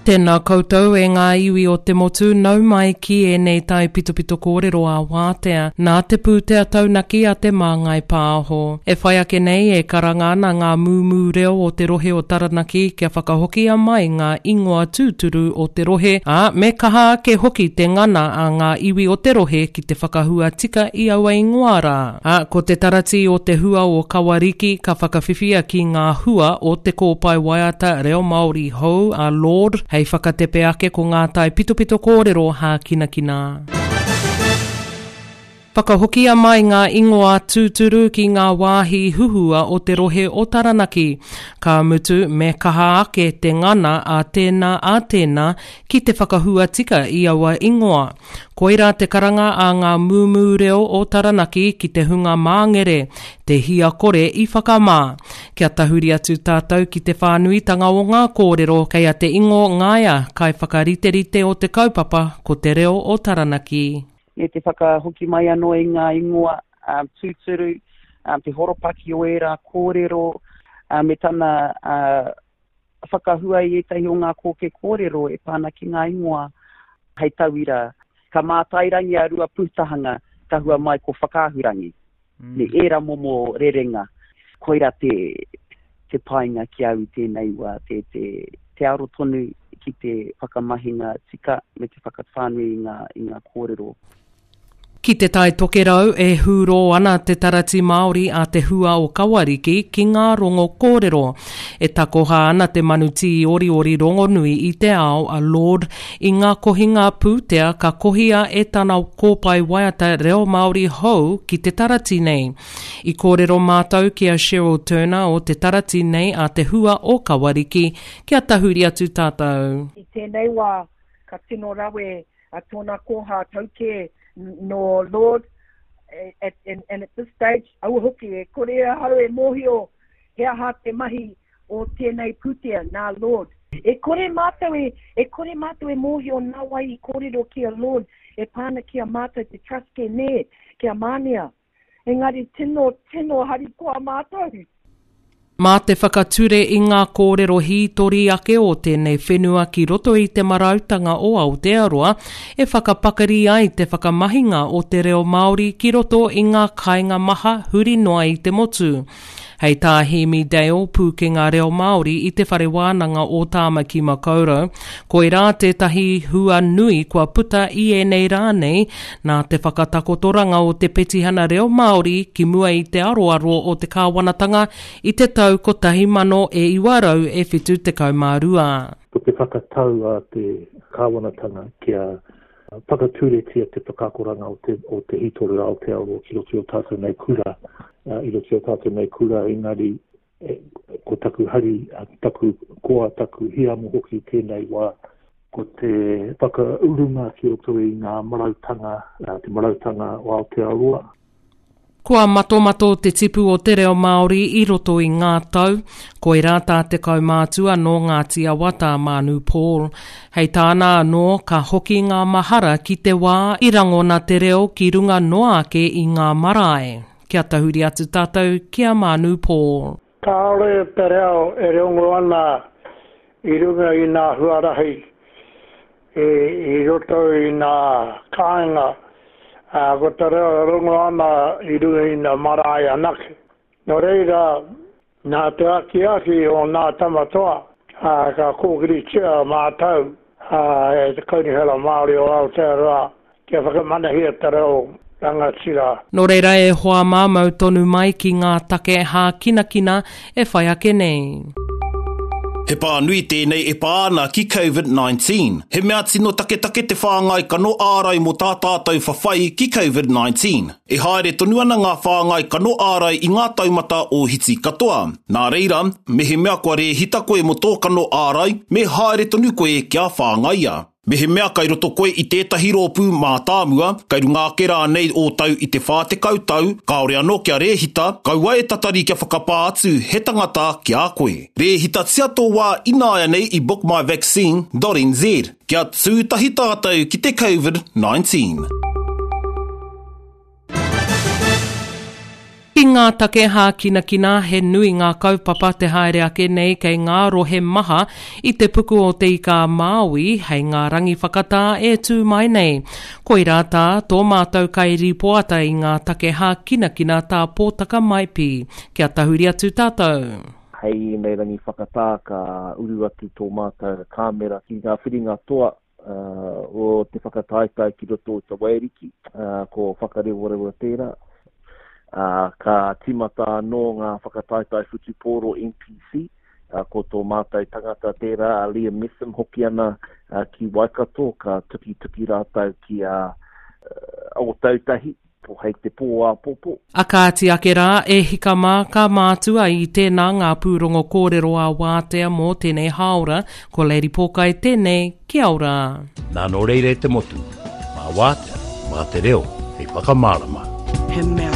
Tēnā koutou e ngā iwi o te motu, nau mai ki ēnei taipitopito kōrero ā-wātea nā te pūtea taunaki a Te Māngai Pāho. E whai ake nei e karanga ana ngā mūmū reo o te rohe o Taranaki kia whakahokia mai ngā ingoa tūturu o te rohe, ā, me kaha ake hoki te ngana a ngā iwi o te rohe ki te whakahua tika i aua ingoa rā. Ā, ko te taratī o te hua o Kawariki ka whakawhiwhia ki ngā hua o te kōpae waiata reo Māori hou a Lorde hei whakatepe ake ko ngā taipitopito kōrero hākinakina. Whakahokia mai ngā ingoa tūturu ki ngā wāhi huhua o te rohe o Taranaki. Ka mutu, me kaha ake te ngana a tēnā a tēnā ki te whakahua tika i aua ingoa. Koirā te karanga a ngā mūmū reo o Taranaki ki te hunga māngere, te hia kore i whakamā. Kia tahuri atu tātou ki te whānuitanga o ngā kōrero kei a Te Ingo Ngaia, kaiwhakariterite o te kaupapa ko Te Reo o Taranaki. Me te whakahoki mai anō i ngā ingoa tūturu, te horopaki o ērā kōrero, me tana whakahua i ētahi o ngā kōke kōrero e pā ana ki ngā ingoa hei tauira, ka mātairangi a Ruapūtahanga, ka hua mai ko Whakaahurangi, mm. me ērā momo rerenga. Koira te, te painga ki au i tēnei wā, te, te, te aro tonu ki te whakamahinga tika me te whakawhānui i ngā, i ngā kōrero. Ki Te Tai Tokerau, e hūrō ana te Tarati Māori a Te Hua o Kawariki ki ngā rongo kōrero. E takoha ana te manu tīoriori rongonui i te ao a Lorde i ngā kohinga pūtea ka kohia e tana kōpae waiata reo Māori hou ki te tarati nei. I kōrero mātou ki a Cheryl Turner o te tarati nei a Te Hua o Kawariki kia tahuri atu tātou. I tēnei wā, ka tino rawe a tōna kōhā tau kē nō Lorde, at, and, and at this stage, aua hoki, e kore ahau e mōhio he aha te mahi o tēnei pūtea nā Lorde. E kore mātou e, e kore mātou e mōhio nā wai i kōrero ki a Lorde e pā ana ki a mātou te trust kē nē, ki a Mānia. Engari tino, tino harikoa mātou. Mā te whakature i ngā kōrero hītori ake o tēnei whenua ki roto i te marautanga o Aotearoa e whakapakari ai te whakamahinga o te reo Māori ki roto i ngā kāinga maha huri noa i te motu. Hei tā Hēmi Dale, pūkenga reo Māori i Te Whare Wānanga o Tāmaki Makaurau, koirā tētahi hua nui kua puta i ēnei rā nei nā te whakatakotoranga o te petihana reo Māori ki mua i te aroaro o te kāwanatanga i te tau 1972. Ko te whakatau a te kāwanatanga kia whakaturetia te whakaakoranga o te, o te hītori o Aotearoa ki roto i o tātou nei kura, i roto i o tātou nei kura, engari e, ko taku hari, taku koa, taku hiamo hoki tēnei wā, ko te whakaurunga ki roto i ngā marautanga, te marautanga o Aotearoa. Kua matomato te tipu o te reo Māori i roto i ngā tau, koirā tā te kaumātua nō Ngāti Awa tā Mānu Paul. Hei tāna anō, ka hoki ngā mahara ki te wā i rangona te reo ki runga noa ake i ngā marae. Kia tahuri atu tātou ki a Mānu Paul. Kāore te reo e rongo ana i runga i nā huarahi i roto i nā kāinga, ā, ko te reo e rongo ana i runga i nā marae anake. Nō reira, nā te akiaki o nā tama toa, ā, ka kōkiritia mātau e te Kaunihera Māori o Aotearoa Kia whakamanahia te reo rangatira. Nō reira e hoa mā mau tonu mai ki ngā take hākinakina e whai ake nei. He pānui tēnei e pā ana ki Covid 19. He mea tino taketake te whāngai kano ārai mō tā tātou whawhai ki Covid 19. E haere tonu ana ngā whāngai kano ārai i ngā taumata ōhiti katoa. Nā reira, mehemea kua rēhita koe mō tō kano ārai, me haere tonu koe kia whāngaia. Mehemea kai roto koe i tētahi rōpū mātāmua, kai runga ake rānei ō tau i te 40 tau, kāore anō kia rēhita, kaua e tatari kia whakapā atu he tangata ki a koe. Rēhitatia tō wā ināianei i bookmyvaccine dot nz. Kia tū tahi tātou ki te Covid 19. Ki. Ki ngā take hākinakina, he nui ngā kaupapa te haere ake nei kei ngā rohe maha i te puku o Te Ika-a-Māui hei ngā rangi whakatā e tū mai nei. Koirā tā tō mātou kairīpoata i ngā take hākinakina tā Pōtaka Maipi. Kia tahuri atu tātou. Hei ēnei rangi whakatā ka uru atu tō mātou kāmera ki ngā whiringa toa o te whakataetae ki roto o Te Waiariki, ko Whakarewarewa tērā. Ka tīmata anō ngā whakataetae whutupōro NPC, ko tō mātou tangata tērā, a Liam Messam hoki ana ki Waikato, ka tukituki rātou ki a Ōtautahi. Po hei te pō āpōpō. A kāti ake rā, e hika mā, ka mātua i tēnā ngā pūrongo kōrero ā wātea mō tēnei hāora, ko Lady Pōkai tēnei, kia ora. Nā nō reira e te motu, mā Wātea, mā te reo hei whakamārama. He mea.